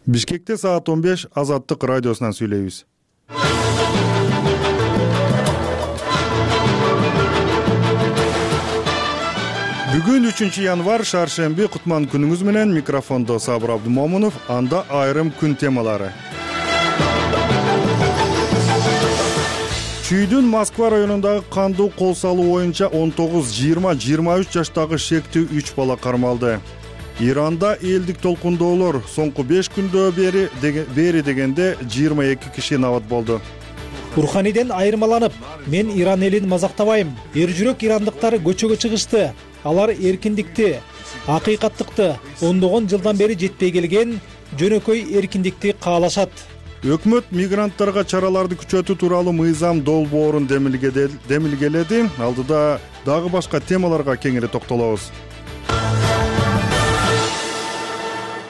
Бишкекте саат 15 Азаттык радиосунан сүйлөйбүз. Бүгүн 3 январь шаршемби кутман күнүңүз менен. Микрофондо Сабыр Абдумомунов. Анда айрым күн темалары. Чүйдүн Москва районундагы кандуу кол салуу боюнча 19-20-23 жаштагы шектүү 3 бала кармалды. Иранда элдик толкундоолор соңку 5 күндө бери дегенде 22 киши набат болду. Руханиден айырмаланып, мен Иран элин мазактабайм. Эр жүрөк ирандыктар көчөгө чыгышты. Алар эркиндикти, акыйкаттыкты, ондогон жылдан бери жетпей келген жөнөкөй эркиндикти каалашат. Өкмөт мигранттарга чараларды күчөтүү тууралуу мыйзам долбоорун демилгеледи. Алдыда дагы башка темаларга кеңири токтолобуз.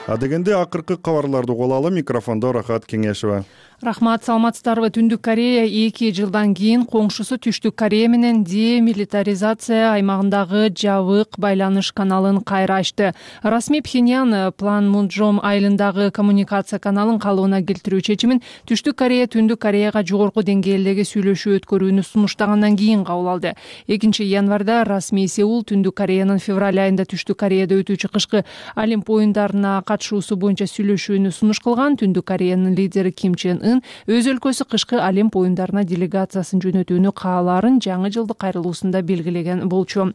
Адегенде акыркы кабарларды угуп алалы. Микрофондо Рахат Кеңешева. Рахмат, саламатсыздарбы? Түндүк Корея 2 жылдан кийин коңшусу Түштүк Корея менен демилитаризация аймагындагы жабык байланыш каналын кайра ачты. Расмий Пхеньян Панмунджом айылындагы коммуникация каналын калыбына келтирүү чечимин Түштүк Корея Түндүк Кореяга жогорку деңгээлдеги сүйлөшүү өткөрүүнү сунуштагандан кийин кабыл алды. 2 январда расмий Сеул Түндүк Кореянын февраль айында Түштүк Кореяда өтүүчү кышкы Олимп оюндарына катышуусу боюнча сүйлөшүүнү сунуш кылган. Түндүк Кореянын лидери Ким Чен Ын өз өлкөсү кышкы Олимп оюндарына делегациясын жөнөтүүнү каалаарын жаңы жылдык кайрылуусунда белгилеген болчу.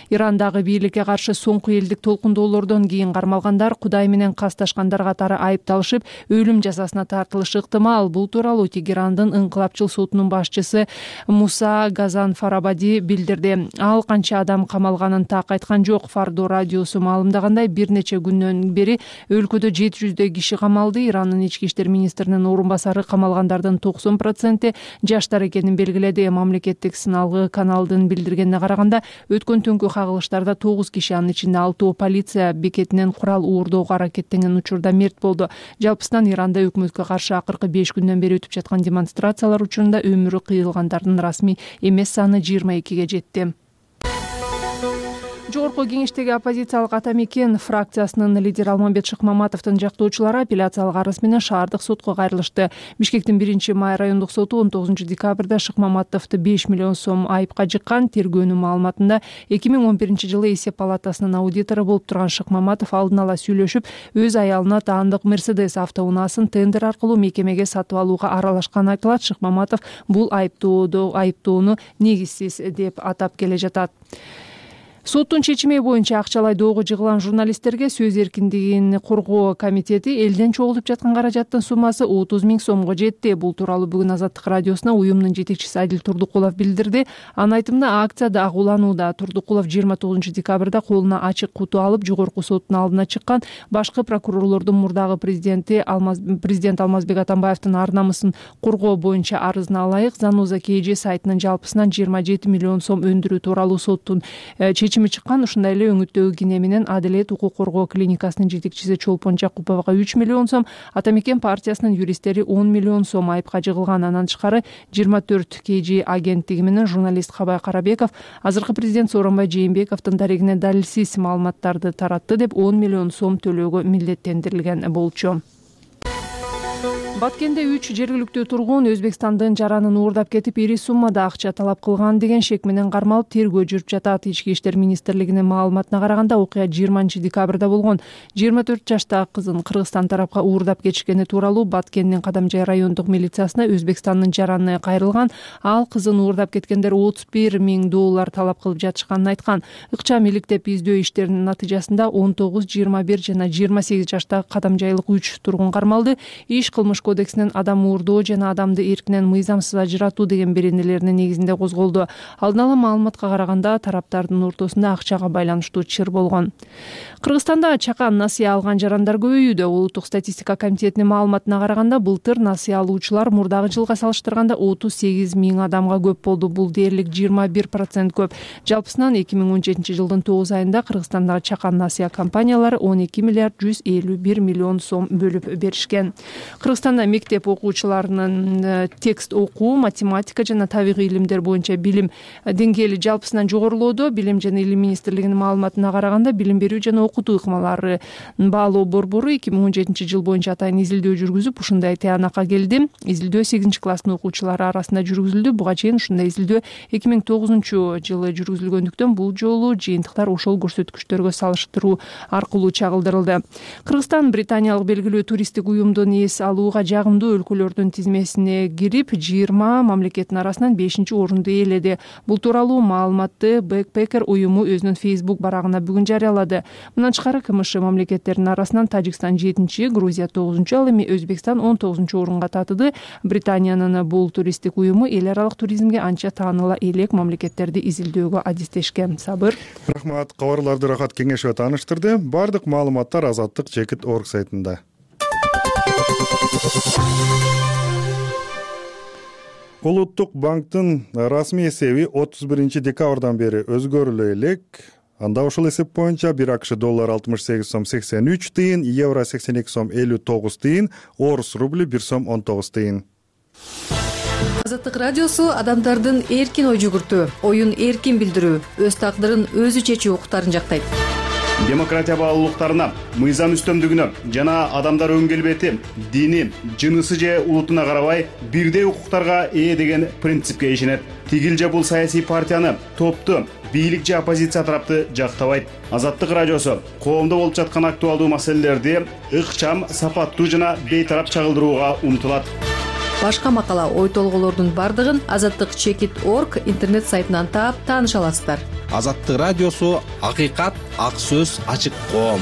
Ирандагы бийликке каршы соңку элдик толкундоолордон кийин кармалгандар Кудай менен касташкандар катары айыпталышып, өлүм жазасына тартылышы ыктымал. Бул тууралуу Тегерандын ыңкылапчыл сотунун башчысы Муса Газанфарабади билдирди. Ал канча адам камалганын так айткан жок. Фардо радиосу маалымдагандай, бир нече күндөн бери өлкөдө 700 киши камалды. Ирандын ички иштер министринин орун басары камалгандардын 90% жаштар экенин белгиледи. Мамлекеттик сыналгы каналдын билдиргенине караганда, өткөн түнкү кагылыштарда 9 киши, анын ичинде 6 полиция бекетинен курал уурдоого аракеттенген учурда мерт болду. Жалпысынан Иранда өкмөткө каршы акыркы 5 күндөн бери өтүп жаткан демонстрациялар учурунда өмүрү кыйылгандардын расмий эмес саны 22ге жетти. Жогорку кеңештеги оппозициялык Атамекен фракциясынын лидери Алмамбет Шыкмаматовдун жактоочулары апелляциялык арыз менен шаардык сотко кайрылышты. Бишкектин 1-май райондук соту 19 декабрда Шыкмаматовду 5 миллион сом айыпка жыккан. Тергөөнүн маалыматында 2011 жылы эсеп палатасынын аудитору болуп турган Шыкмаматов алдын ала сүйлөшүп, өз аялына таандык Мерседес автоунаасын тендер аркылуу мекемеге сатып алууга аралашканы айтылат. Шыкмаматов бул айыптоону негизсиз деп атап келе жатат. Соттун чечими боюнча акчалай доого жыгылган журналисттерге сөз эркиндигин коргоо комитети элден чогулуп жаткан каражаттын суммасы 30 000 сомго жетти. Бул тууралуу бүгүн Азаттык радиосуна уюмдун жетекчиси Адил Турдукулов билдирди. Анын айтымында, акция дагы уланууда. Турдукулов 29 декабрда колуна ачык куту алып, жогорку соттун алдына чыккан. Башкы прокурорлордун мурдагы президент Алмазбек Атамбаевдин ар намысын коргоо боюнча арызына ылайык Зануза KG сайтынын жалпысынан 27 миллион сом өндүрүү тууралуу соттун чечими чыккан. Ушундай эле өңүттөгү Кине менен Адилет укук коргоо клиникасынын жетекчиси Чолпон Жакуповго 3 миллион сом, Атамекен партиясынын юристтери 10 миллион сом айыпка жыгылган. Андан тышкары 24 KG агенттиги менен журналист Кабай Карабеков азыркы президент Сооронбай Жээнбековдун дарегине далилсиз маалыматтарды таратты деп 10 миллион сом төлөөгө милдеттендирилген болчу. Баткенде 3 жергиликтүү тургун Өзбекстандын жаранын уурдап кетип, ири суммада акча талап кылган деген шек менен кармалып тергөө жүрүп жатат. Ички иштер министрлигинин маалыматына караганда, окуя 20 декабрда болгон. 24 жаштагы кызын Кыргызстан тарапка уурдап кетишкени тууралуу Баткендин Кадамжай райондук милициясына Өзбекстандын жараны кайрылган. Ал кызын уурдап кеткендер 31 000 доллар талап кылып жатышканын айткан. Ыкчам иликтеп издөө иштеринин натыйжасында 19, 21 жана 28 жаштагы кадамжайлык 3 тургун кармалды. Иш кылмыш кодексинин адам уурдоо жана адамды эркинен мыйзамсыз ажыратуу деген беренелеринин негизинде козголду. Алдын ала маалыматка караганда, тараптардын ортосунда акчага байланыштуу чыр болгон. Кыргызстанда чакан насыя алган жарандар көбөйүүдө. Улуттук статистика комитетинин маалыматына караганда, былтыр насыя алуучулар мурдагы жылга салыштырганда 38 000 адамга көп болду. Бул дээрлик 21% көп. Жалпысынан 2017 жылдын 9 айында Кыргызстандагы чакан насыя компаниялары 12 миллиард 151 миллион сом бөлүп беришкен. Кыргызстан Кыргызстан мектеп окуучуларынын текст окуу, математика жана табигый илимдер боюнча билим деңгээли жалпысынан жогорулоодо. Билим жана илим министрлигинин маалыматына караганда, билим берүү жана окутуу ыкмаларын баалоо борбору 2017 жыл боюнча атайын изилдөө жүргүзүп, ушундай тыянакка келди. Изилдөө 8 класстын окуучулары арасында жүргүзүлдү. Буга чейин ушундай изилдөө 2009 жылы жүргүзүлгөндүктөн бул жолу жыйынтыктар ошол көрсөткүчтөргө салыштыруу аркылуу чагылдырылды. Кыргызстан британиялык белгилүү туристтик уюмдун эс алууга жагымдуу өлкөлөрдүн тизмесине кирип, 20 мамлекеттин арасынан 5-орунду ээледи. Бул тууралуу маалыматты Backpacker уюму өзүнүн Facebook барагына бүгүн жарыялады. Мындан тышкары КМШ мамлекеттеринин арасынан Тажикстан 7-чи, Грузия 9-чу, ал эми Өзбекстан 19-орунга татыды. Британиянын бул туристтик уюму эл аралык туризмге анча тааныла элек мамлекеттерди изилдөөгө адистешкен. Сабыр. Рахмат, кабарларды Рахат Кеңешова тааныштырды. Бардык маалыматтар Азаттык-Чекит.org сайтында. Улуттук банктын расмий эсеби 31 декабрдан бери өзгөрүлө элек. Анда ошол эсеп боюнча 1 АКШ доллар 68 сом 83 тыйын, евро 82 сом 59 тыйын, орус рубли 1 сом 19 тыйын. Азаттык радиосу адамдардын эркин ой жүгүртүү, оюн эркин билдирүү, өз тагдырын өзү чечүү укуктарын жактайт. Демократия баалуулуктарына, мыйзам үстөмдүгүнө жана адамдар өң келбети, дини, жынысы же улутуна карабай бирдей укуктарга ээ деген принципке ишенет. Тигил же бул саясий партияны, топту, бийлик же оппозиция тарапты жактабайт. Азаттык радиосу коомдо болуп жаткан актуалдуу маселелерди ыкчам, сапаттуу жана бейтарап чагылдырууга умтулат. Башка макала, ой толголордун бардыгын Азаттык-Чекит.org интернет сайтынан таап тааныша аласыздар. Азаттык радиосу акыйкат, ак сөз, ачык коом.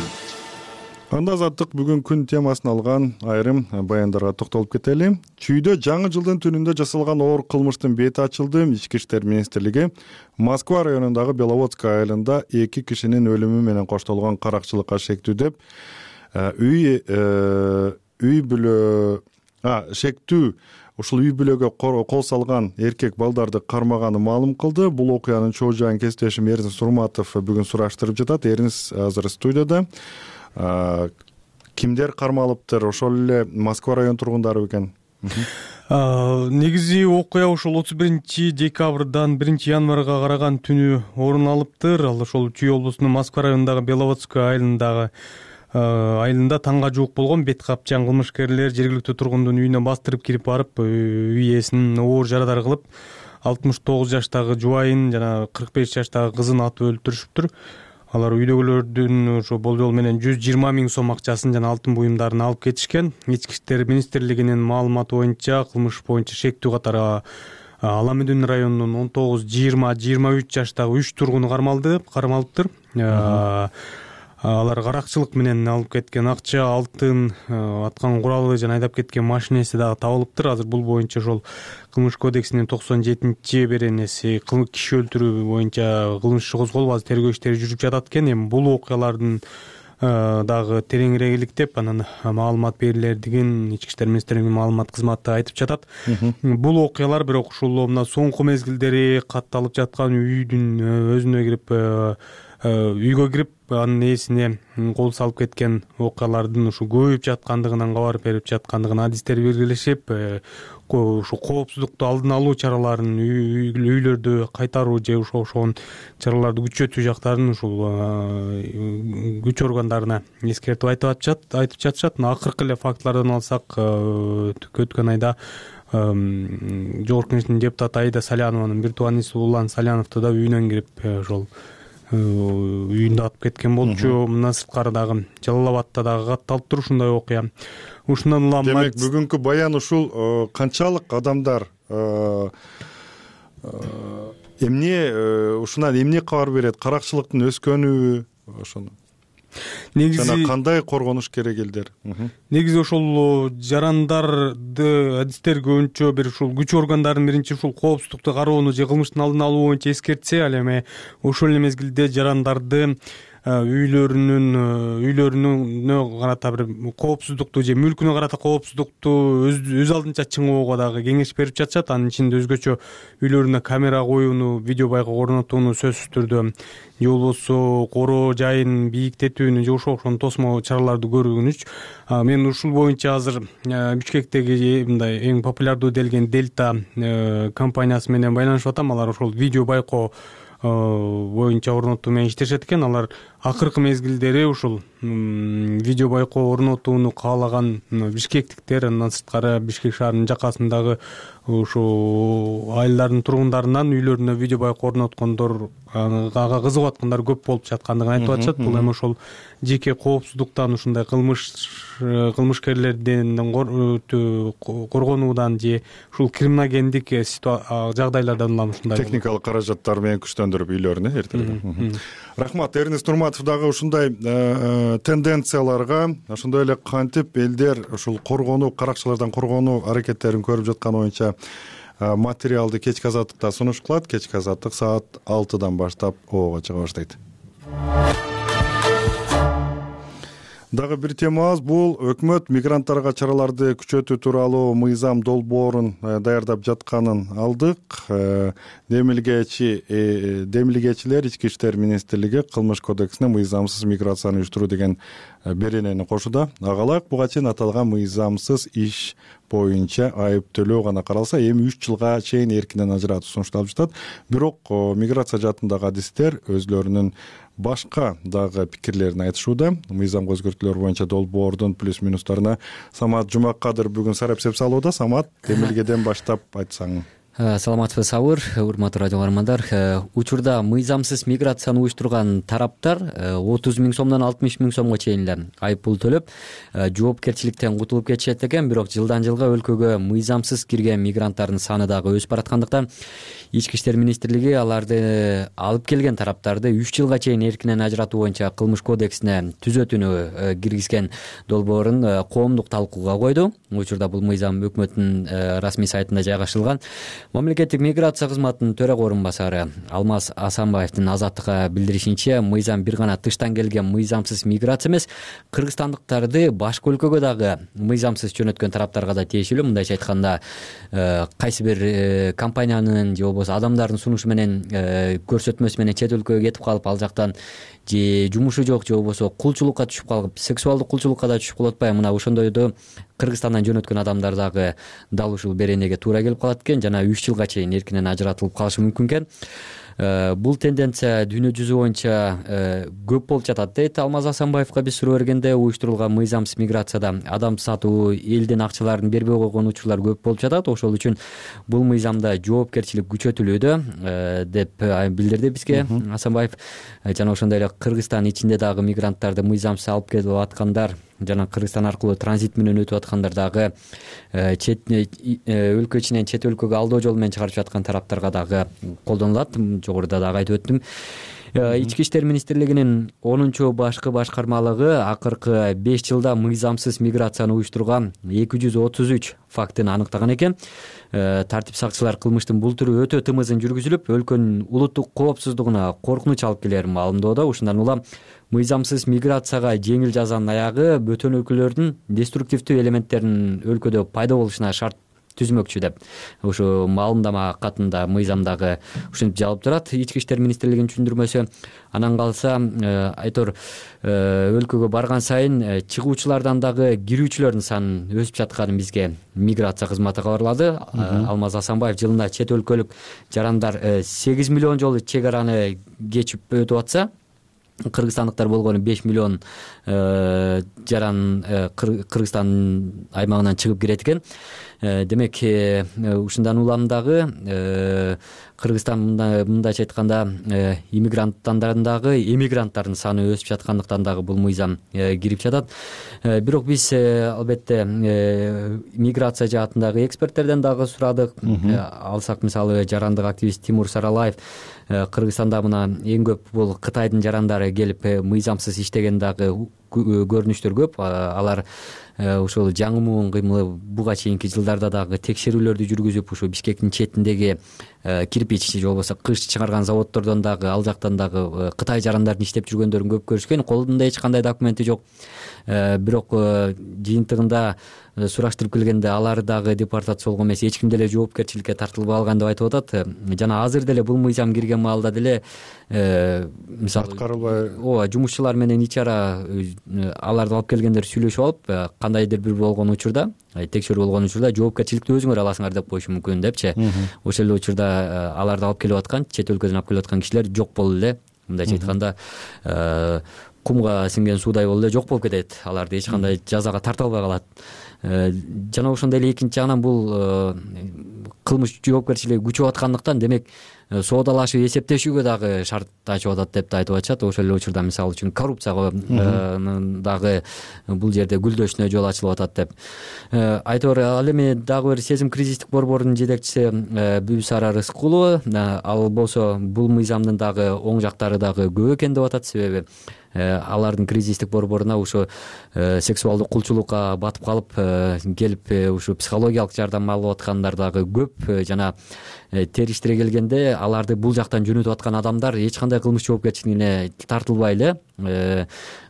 Анда Азаттык бүгүн күн темасын алган айрым баяндарга токтолуп кетели. Чүйдө жаңы жылдын түнүндө жасалган оор кылмыштын бети ачылды. Ички иштер министрлиги Москва районундагы Беловодская айылында 2 кишинин өлүмү менен коштолгон каракчылыкка шектүү деп ушул үй бүлөгө кол салган эркек балдарды кармаганы маалым кылды. Бул окуянын чоо жайын кесиптешим Эрнис Сурматов бүгүн сураштырып жатат. Эрнис азыр студияда. Кимдер кармалыптыр? Ошол эле Москва район тургундары бекен? Негизи окуя ошол 31 декабрдан 1 январга караган түнү орун алыптыр. Ал ошол Чүй облусунун Москва районундагы Беловодская айылында таңга жуук болгон бет капчан кылмышкерлер жергиликтүү тургундун үйүнө бастырып кирип барып, үй ээсинин оор жарадар кылып, 69 жаштагы жубайын жана 45 жаштагы кызын атып өлтүрүшүптүр. Алар үйдөгүлөрдүн ошо болжол менен 120 000 сом акчасын жана алтын буюмдарын алып кетишкен. Ички иштер министрлигинин маалыматы боюнча кылмыш боюнча шектүү катары Ала Медүн районунун 19, 20, 23 жаштагы 3 тургуну кармалыптыр. Алар каракчылык менен алып кеткен акча, алтын, аткан куралы жана айдап кеткен машинеси дагы табылыптыр. Азыр бул боюнча ошол Кылмыш кодексинин 97-чи беренеси киши өлтүрүү боюнча кылмыш иши козголуп, азыр тергөө иштери жүрүп жатат экен. Эми бул окуялардын дагы тереңирээк иликтеп, анан маалымат берилер деген Ички иштер министрлигинин маалымат кызматы айтып жатат. Бул окуялар бирок ушул мына соңку мезгилдери катталып жаткан үйдүн өзүнө кирип, үйгө кирип, анын ээсине кол салып кеткен окуялардын ушу көбөйүп жаткандыгынан кабар берип жаткандыгын адистер белгилешип, ушу коопсуздукту алдын алуу чараларын, үйлөрдү кайтаруу же ошол чараларды күчөтүү жактарын ушул күч органдарына эскертип айтып жатышат. Акыркы эле фактылардан алсак, өткөн айда Жогорку Кеңештин депутаты Аида Салянованын бир тууаниси Улан Саляновду да үйүнөн кирип, ошол үйүндө атып кеткен болчу. Мына сырткары дагы Жалал Абадта дагы катталыптыр ушундай окуя. Ушундан улам демек бүгүнкү баян ушул канчалык адамдар ушунан эмне кабар берет? Каракчылыктын өскөнүбү ошону? Негизи жана кандай коргонуш керек элдер? Негизи ошол жарандарды адистер көбүнчө бир ушул күч органдарынын биринчи ушул коопсуздукту кароону же кылмыштын алдын алуу боюнча эскертсе, ал эми ошол эле мезгилде жарандарды үйлөрүнө карата бир коопсуздукту же мүлкүнө карата коопсуздукту өз алдынча чыңоого дагы кеңеш берип жатышат. Анын ичинде өзгөчө үйлөрүнө камера коюуну, видео байкоо орнотууну сөзсүз түрдө же болбосо короо жайын бийиктетүүнү же ошого окшогон тосмо чараларды көргөнүч. Мен ушул боюнча азыр Бишкектеги мындай эң популярдуу делген Дельта компаниясы менен байланышып атам. Алар ошол видео байкоо боюнча орнотуу менен иштешет экен. Алар акыркы мезгилдери ушул видео байкоо орнотууну каалаган бишкектиктер, андан сырткары Бишкек шаарынын жакасындагы ушу айылдардын тургундарынан үйлөрүнө видео байкоо орноткондор, ага кызыгып аткандар көп болуп жаткандыгын айтып атышат. Бул эми ошол жеке коопсуздуктан, ушундай кылмышкерлерден коргонуудан же ушул криминогендик жагдайлардан улам ушундай техникалык каражаттар менен күчтөндүрүп үйлөрүнө эртелген. Рахмат. Эрнест Нурматов дагы ушундай тенденцияларга, ошондой эле кантип элдер ушул коргонуу, каракчылардан коргонуу аракеттерин көрүп жатканы боюнча материалды кечки азаттыкта сунуш кылат. Кечки азаттык саат 6-дан баштап ооба чыга баштайт. Дагы бир темабыз бул өкмөт мигранттарга чараларды күчөтүү тууралуу мыйзам долбоорун даярдап жатканын алдык. Демилгечилер Ички иштер министрлиги Кылмыш кодексине мыйзамсыз миграцияны уюштуруу деген беренени кошууда. Агалак буга чейин аталган мыйзамсыз иш боюнча айыптөлөө гана каралса, эми 3 жылга чейин эркинен ажыратуу сунушталып жатат. Бирок миграция жаатындагы адистер өзлөрүнүн башка дагы пикирлерин айтышууда. Мыйзамга өзгөртүүлөр боюнча долбоордун плюс минустарына Самат Жумакадыр бүгүн сарапсеп салууда. Самат, демилгеден баштап айтсаң. Саламатсызбы Сабыр, урматтуу радио каармандар. Учурда мыйзамсыз миграцияны уюштурган тараптар 30 000 сомдон 60 000 сомго чейин эле айып пул төлөп, жоопкерчиликтен кутулуп кетишет экен. Бирок жылдан жылга өлкөгө мыйзамсыз кирген мигранттардын саны дагы өсүп бараткандыктан Ички иштер министрлиги аларды алып келген тараптарды 3 жылга чейин эркинен ажыратуу боюнча Кылмыш кодексине түзөтүүнү киргизген долбоорун коомдук талкууга койду. Учурда бул мыйзам өкмөттүн расмий сайтында жайгаштырылган. Мамлекеттик миграция кызматынын төрага орун басары Алмаз Асанбаевдин Азаттыкка билдиришинче, мыйзам бир гана тыштан келген мыйзамсыз миграция эмес, кыргызстандыктарды башка өлкөгө дагы мыйзамсыз жөнөткөн тараптарга да тиешелүү. Мындайча айтканда, кайсы бир компаниянын же болбосо адамдардын сунушу менен, көрсөтмөсү менен чет өлкөгө кетип калып, ал жактан же жумушу жок же болбосо кулчулукка түшүп калып, сексуалдык кулчулукка да түшүп калып атпайбы? Мына ошондойду Кыргызстандан жөнөткөн адамдар дагы дал ушул беренеге туура келип калат экен, жана 3 жылга чейин эркинен ажыратылып калышы мүмкүн экен. Бул тенденция дүйнө жүзү боюнча көп болуп жатат дейт Алмаз Асанбаевга биз суроо бергенде. Уюштурулган мыйзамсыз миграцияда адам сатуу, элдин акчаларын бербей койгон учурлар көп болуп жатат. Ошол үчүн бул мыйзамда жоопкерчилик күчөтүлүүдө деп билдирди бизге Асанбаев. Жана ошондой эле Кыргызстан ичинде дагы мигранттарды мыйзамсыз алып келип аткандар, жана Кыргызстан аркылуу транзит менен өтүп аткандар дагы өлкө ичинен чет өлкөгө алдоо жолу менен чыгарып жаткан тараптарга дагы колдонулат. Жогоруда дагы айтып өттүм. Ички иштер министрлигинин 10-башкы башкармалыгы акыркы 5 жылда мыйзамсыз миграцияны уюштурган 233 фактын аныктаган экен. Тартип сакчылар кылмыштын бул түрү өтө тымызын жүргүзүлүп, өлкөнүн улуттук коопсуздугуна коркунуч алып келерин маалымдоодо. Ушундан улам мыйзамсыз миграцияга жеңил жазанын аягы бөтөнөкүлөрдүн деструктивдүү элементтеринин өлкөдө пайда болушуна шарт түзмөкчү деп ушу маалымдама катында мыйзамдагы ушинтип жазылып турат. Ички иштер министрлигинин түшүндүрмөсү. Анан калса айтор өлкөгө барган сайын чыгуучулардан дагы кирүүчүлөрдүн санынын өсүп жатканын бизге миграция кызматы кабарлады. Алмаз Асанбаев жылына чет өлкөлүк жарандар 8 миллион жолу чек араны кечип өтүп атса, кыргызстандыктар болгону 5 миллион жаран Кыргызстан аймагынан чыгып кирет экен. Демек, ушундан улам дагы Кыргызстан мындайча айтканда иммигранттардын дагы эмигранттардын саны өсүп жаткандыктан дагы бул мыйзам кирип жатат. Бирок биз албетте миграция жаатындагы эксперттерден дагы сурадык. Алсак мисалы жарандык активист Тимур Саралаев Кыргызстанда мына эң көп бул Кытайдын жарандары келип мыйзамсыз иштеген дагы көрүнүштөр көп. Алар ошол жаңы кыймылы буга чейинки жылдарда дагы текшерүүлөрдү жүргүзүп, ушу Бишкектин четиндеги кирпич же болбосо кыш чыгарган заводдордон дагы, ал жактан дагы Кытай жарандарын иштеп жүргөндөрүн көп көрүшкөн. Колунда эч кандай документи жок. Бирок жыйынтыгында сураштырып келгенде алар дагы депортациялоо эмес, эч ким деле жоопкерчиликке тартылбай алган деп айтып атат. Жана азыр деле бул мыйзам кирген маалда деле мисалы аткарылбай, ооба, жумушчулар менен ичара аларды алып келгендер сүйлөшүп алып, кандайдыр бир болгон учурда, текшерүү болгон учурда жоопкерчиликти өзүңөр аласыңар деп коюшу мүмкүн депчи. Ошол эле учурда аларды алып келип аткан, чет өлкөдөн алып келип аткан кишилер жок болду эле. Мындайча айтканда, кумга сиңген суудай болуп эле жок болуп кетет. Аларды эч кандай жазага тарта албай калат. Жана ошондой эле экинчи жагынан бул кылмыш жоопкерчилиги күчөп аткандыктан, демек соодалашып эсептешүүгө дагы шарт ачып атат деп да айтып атышат. Ошол эле учурда мисалы үчүн коррупцияга дагы бул жерде гүлдөшүнө жол ачылып атат деп айтор. Ал эми дагы бир сезим кризистик борборунун жетекчиси Бүбүсара Рыскулова, ал болсо бул мыйзамдын дагы оң жактары дагы көп экен деп атат. Себеби алардын кризистик борборуна ушу сексуалдык кулчулукка батып калып келип, ушу психологиялык жардам алып аткандар дагы көп. Жана териштире келгенде аларды бул жактан жөнөтүп аткан адамдар эч кандай кылмыш жоопкерчилигине тартылбай эле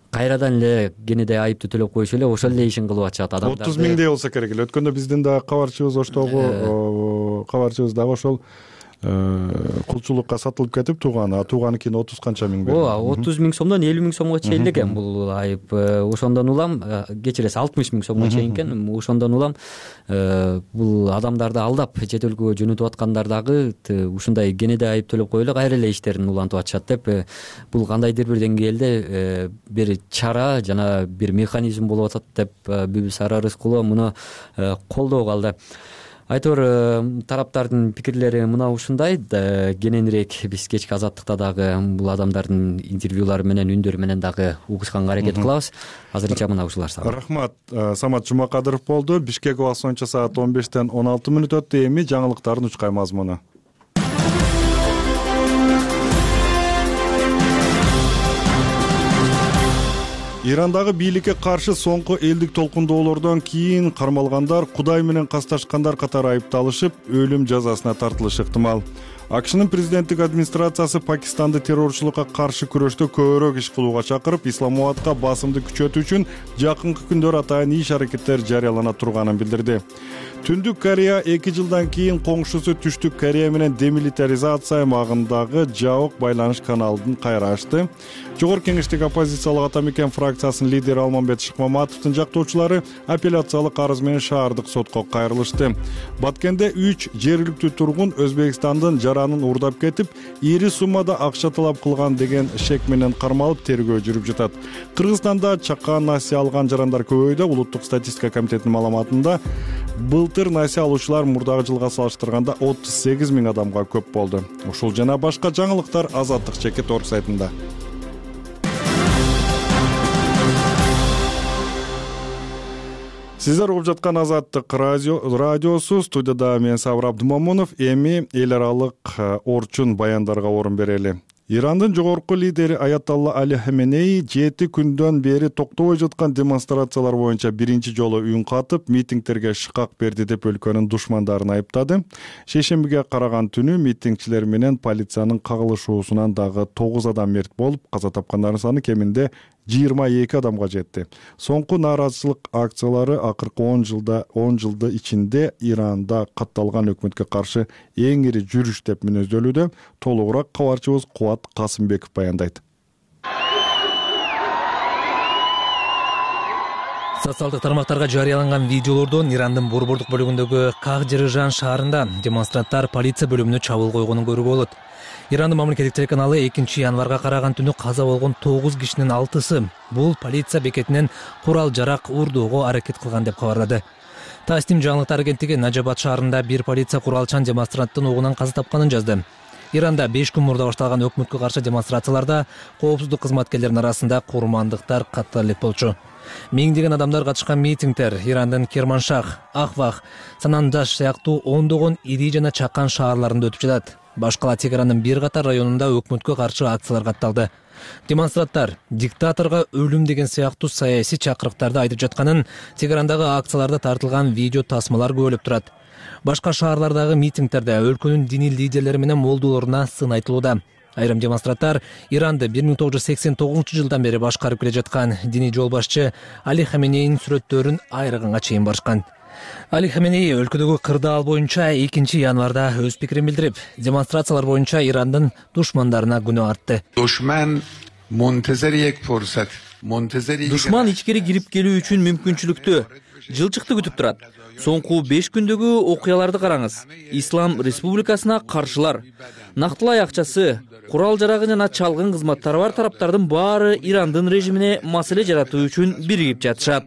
кайрадан эле кенедей айыптуу төлөп коюшу эле, ошол эле ишин кылып атышат адамдар. 30 миңдей болсо керек эле. Өткөндө биздин дагы кабарчыбыз Оштогу кабарчыбыз дагы ошол кулчулукка сатылып кетип, тууганы кийин 30 канча миң берди. Ооба, 30 миң сомдон 50 миң сомго чейин экен бул айып. Ошондон улам, кечиресиз, 60 миң сомго чейин экен. Ошондон улам бул адамдарды алдап чет өлкөгө жөнөтүп аткандар дагы ушундай кенедей айып төлөп коюп эле кайра эле иштерин улантып атышат деп, бул кандайдыр бир деңгээлде бир чара жана бир механизм болуп атат деп Бүбүсара Рыскулова муну колдоо калды. Айтор, тараптардын пикирлери мына ушундай. Кененирээк биз кечки азаттыкта дагы бул адамдардын интервьюлары менен, үндөрү менен дагы угушканга аракет кылабыз. Азырынча мына ушулар сага. Рахмат. Самат Жумакадыров болду. Бишкек убакыты боюнча саат 15-тен 16 мүнөт өттү. Эми жаңылыктардын учкай мазмуну. Ирандагы бийликке каршы соңку элдик толкундоолордон кийин кармалгандар Кудай менен касташкандар катары айыпталышып, өлүм жазасына тартылышы ыктымал. АКШнын президенттик администрациясы Пакистанды террорчулукка каршы күрөштө көбүрөөк иш кылууга чакырып, Исламабадка басымды күчөтүү үчүн жакынкы күндөр атайын иш аракеттер жарыялана турганын билдирди. Түндүк Корея 2 жылдан кийин коңшусу Түштүк Корея менен демилитаризация аймагындагы жабык байланыш каналын кайра ачты. Жогорку кеңештик оппозициялык Атамекен фракциясынын лидери Алмамбет Шыкмаматовдун жактоочулары апелляциялык арыз менен шаардык сотко кайрылышты. Баткенде 3 жергиликтүү тургун Өзбекстандын жаранын уурдап кетип, ири суммада акча талап кылган деген шек менен кармалып тергөө жүрүп жатат. Кыргызстанда чакан насыя алган жарандар көбөйдү. Улуттук статистика комитетинин маалыматында былтыр насыя алуучулар мурдагы жылга салыштырганда 38 миң адамга көп болду. Ушул жана башка жаңылыктар Азаттык чекит орг сайтында. Сиздер угуп жаткан Азаттык радиосу, студияда мен Сабыр Абдымомунов. Эми эл аралык орчун баяндарга орун берели. Ирандын жогорку лидери Аятолла Али Хаменеи 7 күндөн бери токтобой жаткан демонстрациялар боюнча биринчи жолу үн катып, митингтерге шыкак берди деп өлкөнүн душмандарын айыптады. Шейшембиге караган түнү митингчилер менен полициянын кагылышуусунан дагы 9 адам мерт болуп, каза тапкандардын саны кеминде 22 адамга жетти. Соңку нааразычылык акциялары акыркы 10 жылды ичинде Иранда катталган өкмөткө каршы эң ири жүрүш деп мүнөздөлүүдө. Толугураак кабарчыбыз Кубат Касымбеков баяндайт. Социалдык тармактарга жарыяланган видеолордон Ирандын борбордук бөлүгүндөгү Кагжырыжан шаарында демонстранттар полиция бөлүмүнө чабуул койгонун көрүүгө болот. Ирандын мамлекеттик телеканалы 2 январга караган түнү каза болгон 9 кишинин 6-сы бул полиция бекетинен курал-жарак уурдоого аракет кылган деп кабарлады. Тастим жаңылыктар агенттиги Najabad шаарында бир полиция куралчан демонстранттын огунан каза тапканын жазды. Иранда 5 күн мурда башталган өкмөткө каршы демонстрацияларда коопсуздук кызматкерлеринин арасында курмандыктар катты элек болчу. Миңдеген адамдар катышкан митингдер Ирандын Керманшах, Ахвах, Санандаш сыяктуу ондогон ири жана чакан шаарларында өтүп жатат. Баш кала Тегаранын бир катар районунда өкмөткө каршы акциялар катталды. Демонстранттар диктаторго өлүм деген сыяктуу саясий чакырыктарды айтып жатканын Тегарандагы акцияларда тартылган видео тасмалар күбөлөп турат. Башка шаарлардагы митингдерде өлкөнүн диний лидерлери менен молдолоруна сын айтылууда. Айрым демонстранттар Иранды 1989 жылдан бери башкарып келе жаткан диний жол башчы Али Хаменейнин сүрөттөрүн айрыганга чейин барышкан. Али Хаменей өлкөдөгү кырдаал боюнча 2 январда өз пикирин билдирип, демонстрациялар боюнча Ирандын душмандарына күнөө артты. Душман ичкери кирип келүү үчүн мүмкүнчүлүктү, жылчыкты күтүп турат. Соңку 5 күндөгү окуяларды караңыз. Ислам Республикасына каршылар, нактылай акчасы, курал жарагы жана чалгын кызматтары бар тараптардын баары Ирандын режимине маселе жаратуу үчүн биригип жатышат.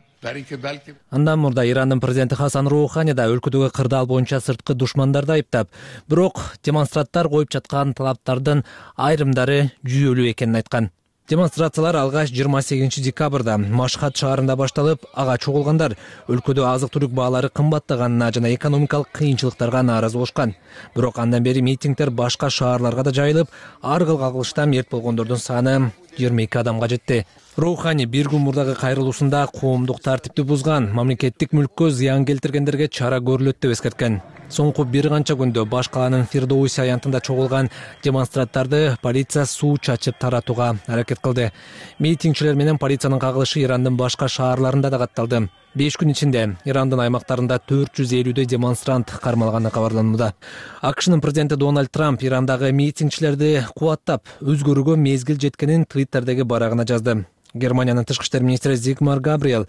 Андан мурда Ирандын президенти Хасан Роухани да өлкөдөгү кырдаал боюнча сырткы душмандарды айыптап, бирок демонстранттар коюп жаткан талаптардын айрымдары жүйөлүү экенин айткан. Демонстрациялар алгач 28 декабрда Машхад шаарында башталып, ага чогулгандар өлкөдө азык-түлүк баалары кымбаттаганына жана экономикалык кыйынчылыктарга нааразы болушкан. Бирок андан бери митингдер башка шаарларга да жайылып, ар кыл кагылышта мерт болгондордун саны 22 адамга жетти. Роухани бир күн мурдагы кайрылуусунда коомдук тартипти бузган, мамлекеттик мүлккө зыян келтиргендерге чара көрүлөт деп эскерткен. Соңку бир канча күндө баш каланын Фирдоуси аянтында чогулган демонстранттарды полиция суу чачып таратууга аракет кылды. Митингчилер менен полициянын кагылышы Ирандын башка шаарларында да катталды. 5 күн ичинде Ирандын аймактарында 450 демонстрант кармалганы кабарланууда. АКШнын президенти Дональд Трамп Ирандагы митингчилерди кубаттап, өзгөрүүгө мезгил жеткенин Твиттердеги барагына жазды. Германиянын тышкы иштер министри Зигмар Габриэл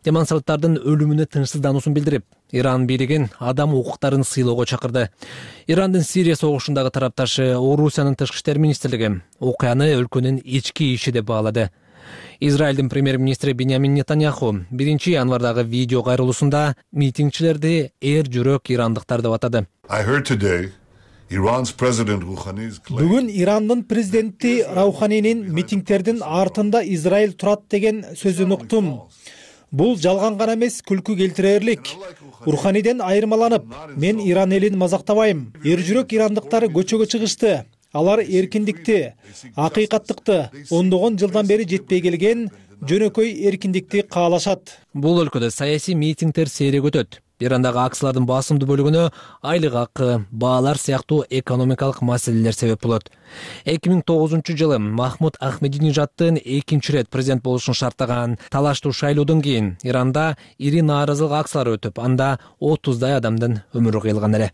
демонстранттардын өлүмүнө тынчсыздануусун билдирип, Иран бийлигин адам укуктарын сыйлоого чакырды. Ирандын Сирия согушундагы тарапташы Орусиянын тышкы иштер министрлиги окуяны өлкөнүн ички иши деп баалады. Израилдин премьер-министри Биньямин Нетаньяху 1 январдагы видео кайрылуусунда митингчилерди эр жүрөк ирандыктар деп атады. Бүгүн Ирандын президенти Рауханинин митингтердин артында Израиль турат деген сөзүн уктум. Бул жалган гана эмес, күлкү келтирерлик. Руханиден айырмаланып, мен Иран элин мазактабайм. Эр жүрөк ирандыктар көчөгө чыгышты. Алар эркиндикти, акыйкаттыкты, ондогон жылдан бери жетпей келген жөнөкөй эркиндикти каалашат. Бул өлкөдө саясий митингдер сейрек өтөт. Ирандагы акциялардын басымдуу бөлүгүнө айлык акы, баалар сыяктуу экономикалык маселелер себеп болот. 2009 жылы Махмуд Ахмединежаддын 2 рет президент болушун шарттаган талаштуу шайлоодон кийин Иранда ири нааразылык акциялары өтүп, анда 30дай адамдын өмүрү кыйылган эле.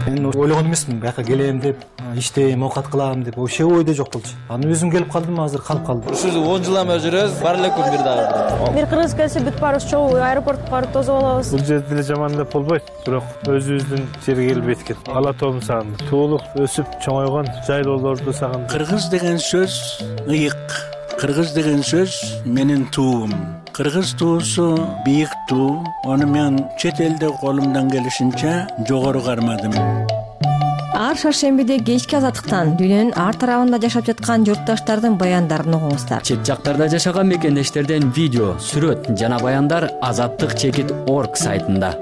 Мен ойлогон эмесмин, бияка келем деп, иштейм, оокат кылам деп, вообще ойдо жок болчу. Аны өзүм келип калдым, азыр калып калдым. Ушул 10 жылдан бери жүрөбүз, бар эле күн бир дагы. Бир кыргыз келсе бүт барыбыз чогуу аэропортко барып тосуп алабыз. Бул жерде деле жаман деп болбойт, бирок өзүбүздүн жерге келип эткен. Ала тоом сагындым. Туулуп, өсүп, чоңойгон жайлоолорду сагындым. Кыргыз деген сөз ыйык. Кыргыз деген сөз менин туум. Кыргыз туусу бийик туу. Аны мен чет элде колумдан келишинче жогору кармадым. Ар шаршембиде кечки азаттыктан дүйнөнүн ар тарабында жашап жаткан журтташтардын баяндарын угуңуздар. Чет жактарда жашаган мекендештерден видео, сүрөт жана баяндар azattik.org сайтында.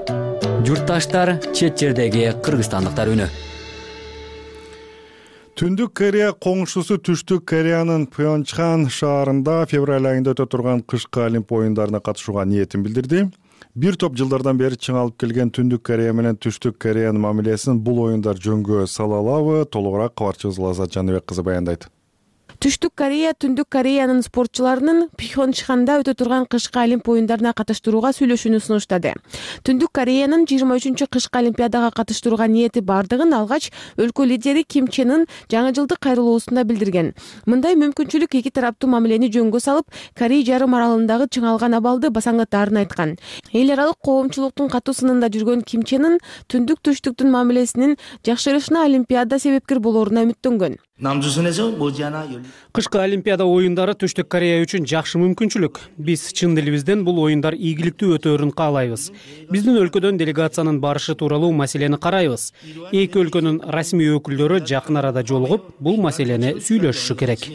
Журтташтар, чет жердеги кыргызстандыктар үнү. Түндүк Корея коңшусу Түштүк Кореянын Пхёнчхан шаарында февраль айында өтө турган кышкы Олимп оюндарына катышууга ниетин билдирди. Бир топ жылдардан бери чыңалып келген Түндүк Корея менен Түштүк Кореянын мамилесин бул оюндар жөнгө сала алабы? Толугураак кабарчыбыз Лазат Жаныбек кызы баяндайт. Түштүк Корея Түндүк Кореянын спортчуларынын Пхёнчханда өтө турган кышкы Олимп оюндарына катыштырууга сүйлөшүүнү сунуштады. Түндүк Кореянын 23 кышкы Олимпиадага катыштырууга ниети бардыгын алгач өлкө лидери Ким Чен Ын жаңы жылдык кайрылуусунда билдирген. Мындай мүмкүнчүлүк эки тараптуу мамилени жөнгө салып, Корей жарым аралындагы чыңалган абалды басаңдатаарын айткан. Эл аралык коомчулуктун катуу сынында жүргөн Ким Чен Ын Түндүк Түштүктүн мамилесинин жакшырышына Олимпиада себепкер болоруна үмүттөнгөн. Кышкы Олимпиада оюндары Түштүк Корея үчүн жакшы мүмкүнчүлүк. Биз чын дилибизден бул оюндар ийгиликтүү өтөөрүн каалайбыз. Биздин өлкөдөн делегациянын барышы тууралуу маселени карайбыз. Эки өлкөнүн расмий өкүлдөрү жакын арада жолугуп, бул маселени сүйлөшүшү керек.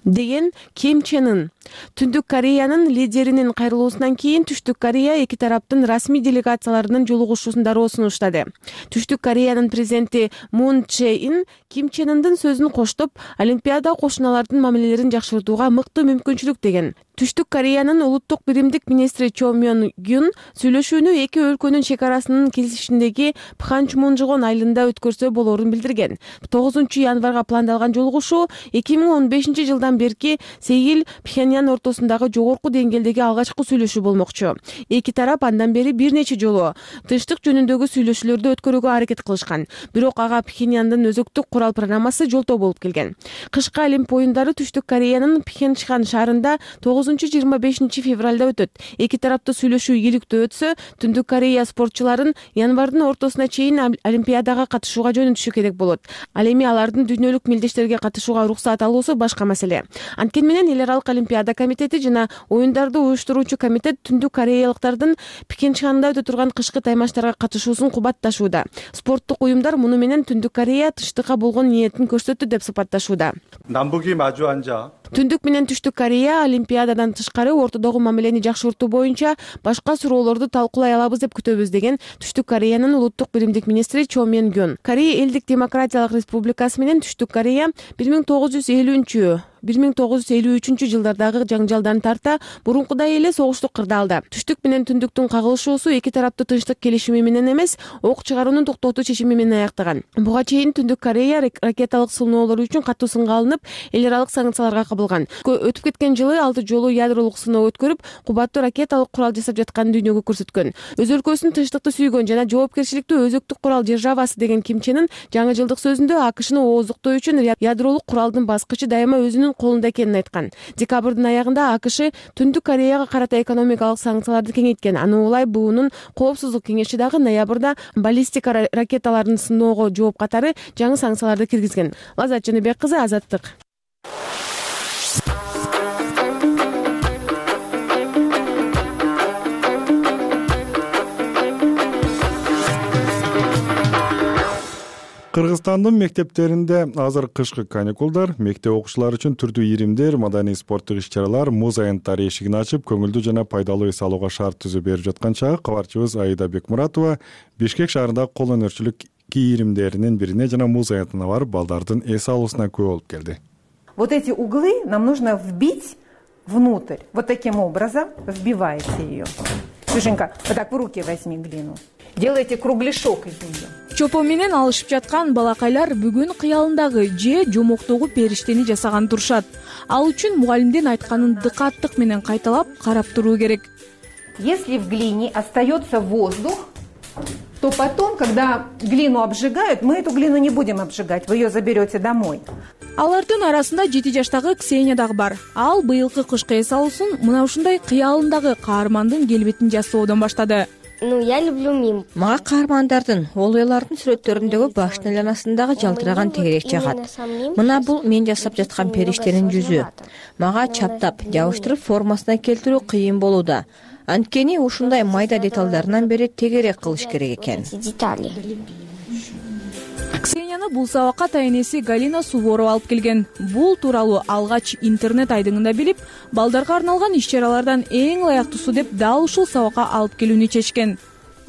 деген Ким Чен Ын. Түндүк Кореянын лидеринин кайрылуусунан кийин Түштүк Корея эки тараптын расмий делегацияларынын жолугушуусун дароо сунуштады. Түштүк Кореянын президенти Мун Чже Ин Ким Чен Ындын сөзүн коштоп, Олимпиада кошуналардын мамилелерин жакшыртууга мыкты мүмкүнчүлүк деген. Түштүк Кореянын улуттук биримдик министри Чо Мён Гюн сүйлөшүүнү эки өлкөнүн чек арасынын кесишиндеги Пханчмунжгон айылында өткөрсө болорун билдирген. 9-январга пландалган жолугушуу 2015 жылдан берки Сеул Пхеньян ортосундагы жогорку деңгээлдеги алгачкы сүйлөшүү болмокчу. Эки тарап андан бери бир нече жолу тынчтык жөнүндөгү сүйлөшүүлөрдү өткөрүүгө аракет кылышкан. Бирок ага Пхеньяндын өзөктүк курал программасы жолтоо болуп келген. Кышкы Олимп оюндары Түштүк Кореянын Пхенчхан шаарында 9-25 февралда өтөт. Эки тарапты сүйлөшүү ийгиликтүү өтсө, Түндүк Корея спортчуларын январдын ортосуна чейин Олимпиадага катышууга жөнөтүшү керек болот. Ал эми алардын дүйнөлүк мелдештерге катышууга уруксат алуусу башка маселе. Анткени менен эл аралык Олимпиада комитети жана оюндарды уюштуруучу комитет Түндүк Кореялыктардын Пхенчханда өтө турган кышкы таймаштарга катышуусун кубатташууда. Спорттук уюмдар муну менен Түндүк Корея тынчтыкка болгон ниетин көрсөттү деп сыпатташууда. 남북이 마주 앉아 Түндүк менен Түштүк Корея Олимпиададан тышкары ортодогу мамилени жакшыртуу боюнча башка суроолорду талкуулай алабыз деп күтөбүз деген Түштүк Кореянын улуттук биримдик министри Чо Мён Гюн. Корея элдик демократиялык республикасы менен Түштүк Корея 1953 жылдардагы жаңжалдан тарта бурункудай эле согуштук кырдаалда. Түштүк менен Түндүктүн кагылышуусу эки тараптуу тынчтык келишими менен эмес, ок чыгарууну токтотуу чечими менен аяктаган. Буга чейин Түндүк Корея ракеталык сыноолору үчүн катуу сынга алынып, эл аралык санкцияларга кабылган. Өтүп кеткен жылы 6 жолу ядролук сыноо өткөрүп, кубаттуу ракеталык курал жасап жатканын дүйнөгө көрсөткөн. Өз өлкөсүн тынчтыкты сүйгөн жана жоопкерчиликтүү өзөктүк курал державасы деген Ким Чен Ын жаңы жылдык сөзүндө АКШны ооздуктоо үчүн ядролук куралдын баскычы дайыма өзүнүн колунда экенин айткан. Декабрдын аягында АКШ Түндүк Кореяга карата экономикалык санкцияларды кеңейткен. Аны улай БУнун коопсуздук кеңеши дагы ноябрда баллистика ракеталарын сыноого жооп катары жаңы санкцияларды киргизген. Лазат Жаныбек кызы, Азаттык. Кыргызстандын мектептеринде азыр кышкы каникулдар, мектеп окуучулары үчүн түрдүү иримдер, маданий спорттук иш-чаралар, муз аянттары эшигин ачып, көңүлдүү жана пайдалуу эс алууга шарт түзүп берип жаткан чагы кабарчыбыз Аида Бекмуратова Бишкек шаарындагы кол өнөрчүлүк кийимдеринин бирине жана муз аянтына барып, балдардын эс алуусуна күбө болуп келди. Вот эти углы нам нужно вбить внутрь. Вот таким образом вбиваете ее. Ксюшенька, вот так в руки возьми глину. Делайте кругляшок из нее. Чопо менен алышып жаткан балакайлар бүгүн кыялындагы же жомоктогу периштени жасаган турушат. Ал үчүн мугалимдин айтканын дыкаттык менен кайталап карап туруу керек. Если в глине остается воздух, то потом, когда глину обжигают, мы эту глину не будем обжигать, вы ее заберете домой. Алардын арасында 7 жаштагы Ксения дагы бар. Ал быйылкы кышкы эс алуусун мына ушундай кыялындагы каармандын келбетин жасоодон баштады. Я люблю мим. Мага каармандардын, олуялардын сүрөттөрүндөгү башынын айланасындагы жалтыраган тегерек жагат. Мына бул мен жасап жаткан периштенин жүзү. Мага чаптап, жабыштырып формасына келтирүү кыйын болууда. Анткени ушундай майда деталдарынан бери тегерек кылыш керек экен. Ксенияны бул сабакка тайнеси Галина Суворова алып келген. Бул тууралуу алгач интернет айдыңында билип, балдарга арналган иш-чаралардан эң ылайыктуусу деп дал ушул сабакка алып келүүнү чечкен.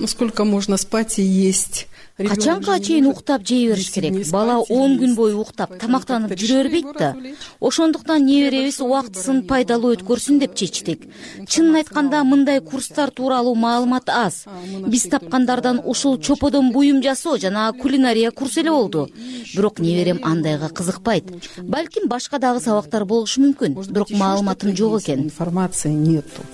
Сколько можно спать и есть? Качанга чейин уктап жей бериш керек. Бала 10 күн бою уктап, тамактанып жүрө бербейт да. Ошондуктан неберебиз убактысын пайдалуу өткөрсүн деп чечтик. Чынын айтканда, мындай курстар тууралуу маалымат аз. Биз тапкандардан ушул чоподон буюм жасоо жана кулинария курсу эле болду. Бирок неберем андайга кызыкпайт. Балким башка дагы сабактар болушу мүмкүн. Бирок маалыматым жок экен. Информации нету.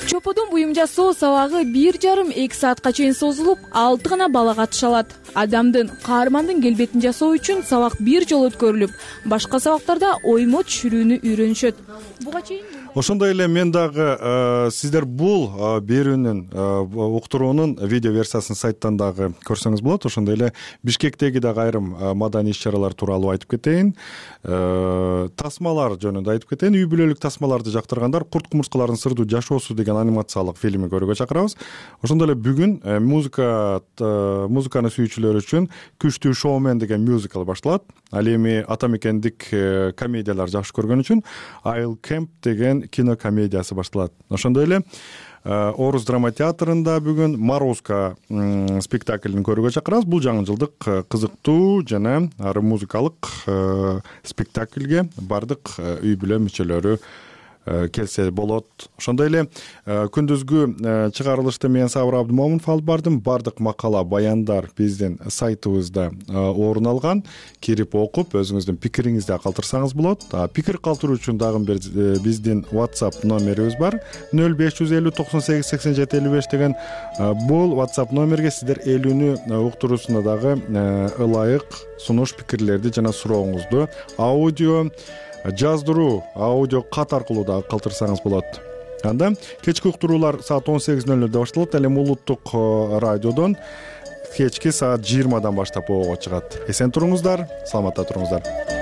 Чоподон буюм жасоо сабагы 1,5-2 саатка чейин созулуп, 6 гана бала катыша алат. Адамдын, каармандын келбетин жасоо үчүн сабак бир жолу өткөрүлүп, башка сабактарда оймо түшүрүүнү үйрөнүшөт. Буга чейин Ошондой эле мен дагы сиздер бул берүүнүн уктуруунун видео версиясын сайттан дагы көрсөңүз болот. Ошондой эле Бишкектеги дагы айрым маданий иш-чаралар тууралуу айтып кетейин. Тасмалар жөнүндө айтып кетейин. Үй бүлөлүк тасмаларды жактыргандар Курт кумурскалардын сырдуу жашоосу деген анимациялык фильмин көрүүгө чакырабыз. Ошондой эле бүгүн музыканы сүйүүчүлөр үчүн Күчтүү шоумен деген мюзикл башталат. Ал эми ата мекендик комедиялар жакшы көргөн үчүн I'll Camp деген кино комедиясы башталат. Ошондой эле Орус драма театрында бүгүн Морозко спектаклин көрүүгө чакырабыз. Бул жаңы жылдык кызыктуу жана ары музыкалык спектакльге бардык үй бүлө мүчөлөрү келсе болот. Ошондой эле күндүзгү чыгарылышты мен Сабыр Абдымомунов алып бардым. Бардык макала, баяндар биздин сайтыбызда орун алган. Кирип окуп, өзүңүздүн пикириңизди калтырсаңыз болот. Пикир калтыруу үчүн дагы биздин WhatsApp номерибиз бар. 0550 98 87 55 деген бул WhatsApp номерге сиздер элүүнү уктуруусуна дагы ылайык сунуш пикирлерди жана сурооңузду аудио жаздыруу аудио кат аркылуу да калтырсаңыз болот. Анда кечки уктуруулар саат 18:00 башталат. Ал эми улуттук радиодон кечки саат 20 баштап ого чыгат. Эсен туруңуздар, саламатта туруңуздар.